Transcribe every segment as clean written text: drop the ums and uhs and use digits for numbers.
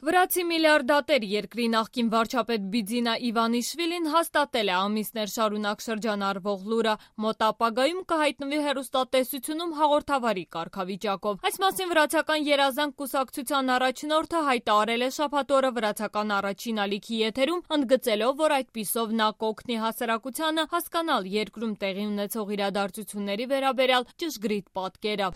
Վրացի միլիարդատեր երկրի նախկին վարչապետ Բիձինա Իվանիշվիլին հաստատել է ամիսներ շարունակ շրջանառվող լուրը, մոտ ապագայում կհայտնվի հեռուստատեսությունում հաղորդավարի կարգավիճակով։ Այս մասին վրացական երազանք կուսակցության առաջնորդը հայտարարել է շաբաթ օրը վրացական առաջին ալիքի եթերում, ընդգծելով, որ այդպիսով նա կօգնի հասարակությանը հասկանալ երկրում տեղի ունեցող իրադարձությունների վերաբերյալ ճշգրիտ պատկերը։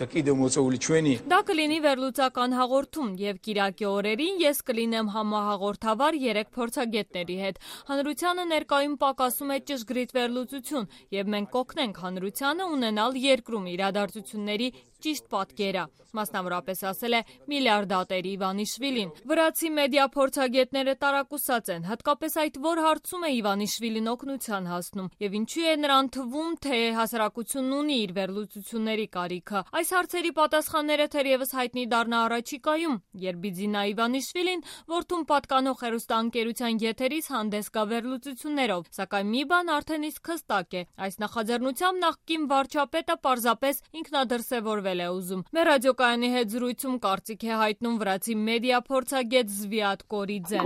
Դա կլինի վերլուծական հաղորդում և կիրակի օրերին ես կլինեմ համահաղորդավար 3 փորձագետների հետ։ Հանրությանը ներկայում պակասում է ճշգրիտ վերլուծություն և մենք կօգնենք հանրությանը ունենալ երկրում իրադարձությունների ճիշտ պատկերը, մասնավորապես ասել է միլիարդատեր Իվանիշվիլին։ Վրացի մեդիա փորձագետները տարակուսած են, հատկապես այդ որ հարցում է Իվանիշվիլին օգնության հասնում և ինչու է նրան թվում, թե հասարակությունն ունի իր վերլուծությունների կարիքը։ Այս հարցերի պատասխանները թերևս հայտնի դառնա առաջիկայում, երբ Բիձինա Իվանիշվիլին որդուն պատկանող հեռուստաընկերության եթերից հանդես գա վերլուծություններով, սակայն մի բան արդեն իսկ հստակ է, այս նախաձեռնությամբ նախկին վարչապետը պարզապես ինքնադրսևորվել է ուզում։ Մեր ռադիոկայանի հետ զրույցում կարծիք է հայտնում վրացի մեդիա փորձագետ Զվիատ Կորիձեն։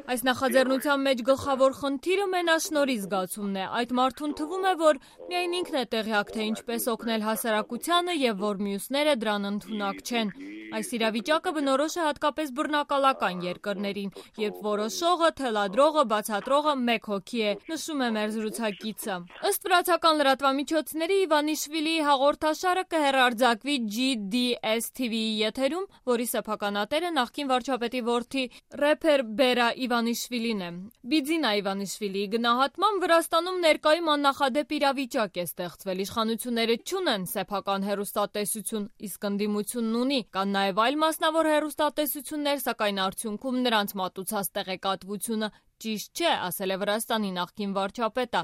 Այս նախաձեռնության մեջ գլխավոր խնդիրը մենաշնորհի զգացումն է։ Այդ մարդուն թվում է, որ միայն ինքն է տեղյակ, թե ինչպես օգնել հասարակությանը և որ մյուսները դրան ընդունակ չեն։ Այս իրավիճակը բնորոշ է հատկապես բռնակալական երկրներին, երբ որոշողը, թելադրողը, բացատրողը մեկ հոգի է, նշում է մեր զրուցակիցը։ Ըստ վրացական լրատվամիջոցների Իվանիշվիլիի հաղորդաշարը կհեռարձակվի GDS TV-ի եթերում, որի սեփականատերը նախկին վարչապետի որդի ռեփեր Բերա Իվանիշվիլին է։ Բիձինա Իվանիշվիլիի գնահատմամբ Վրաստանում ներկայում աննախադեպ իրավիճակ է ստեղծվել։ Իշխանությունները չունեն սեփական հեռուստատեսություն, իսկ ընդդիմությունն ունի։ Կան նաև այլ մասնավոր հեռուստատեսություններ, սակայն արդյունքում նրանց մատուցած տեղեկատվությունը ճիշտ չէ, ասել է Վրաստանի նախկին վարչապետը։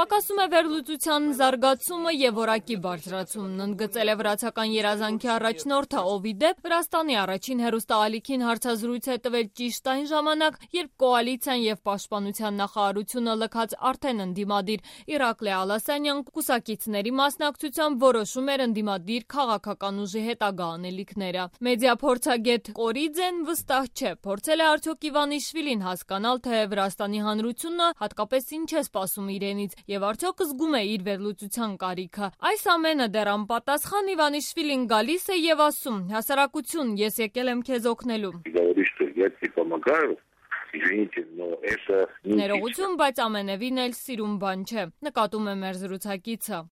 Պակասում է վերլուծության զարգացումը և որակի բարձրացումն, ընդգծել է վրացական երազանքի առաջնորդը, ով ի դեպ Վրաստանի առաջին հեռուստաալիքին հարցազրույց է տվել ճիշտ այն ժամանակ, երբ կոալիցիան և պաշտպանության նախարարությունը լքած արդեն ընդդիմադիր Իրակլի Ալասանյան կուսակիցների մասնակցությամբ որոշում էր ընդդիմադիր քաղաքական ուժի հետագա անելիքները։ Մեդիա փորձագետ Կորիձեն վստահ չէ, փորձել է արդյոք Իվանիշվիլին հասկանալ, թե Վրաստանի հանրությունը հատկապես ինչ է սպասում իրենից և արդյոք զգում է իր վերլուծության կարիքը։ Այս ամենը դեռ անպատասխան Իվանիշվիլին գալիս է և ասում. հասարակություն, ես եկել եմ քեզ օգնելու։ Ներողություն, բայց ամենևին էլ սիրուն բան չէ, նկատում է մեր զրուցակիցը։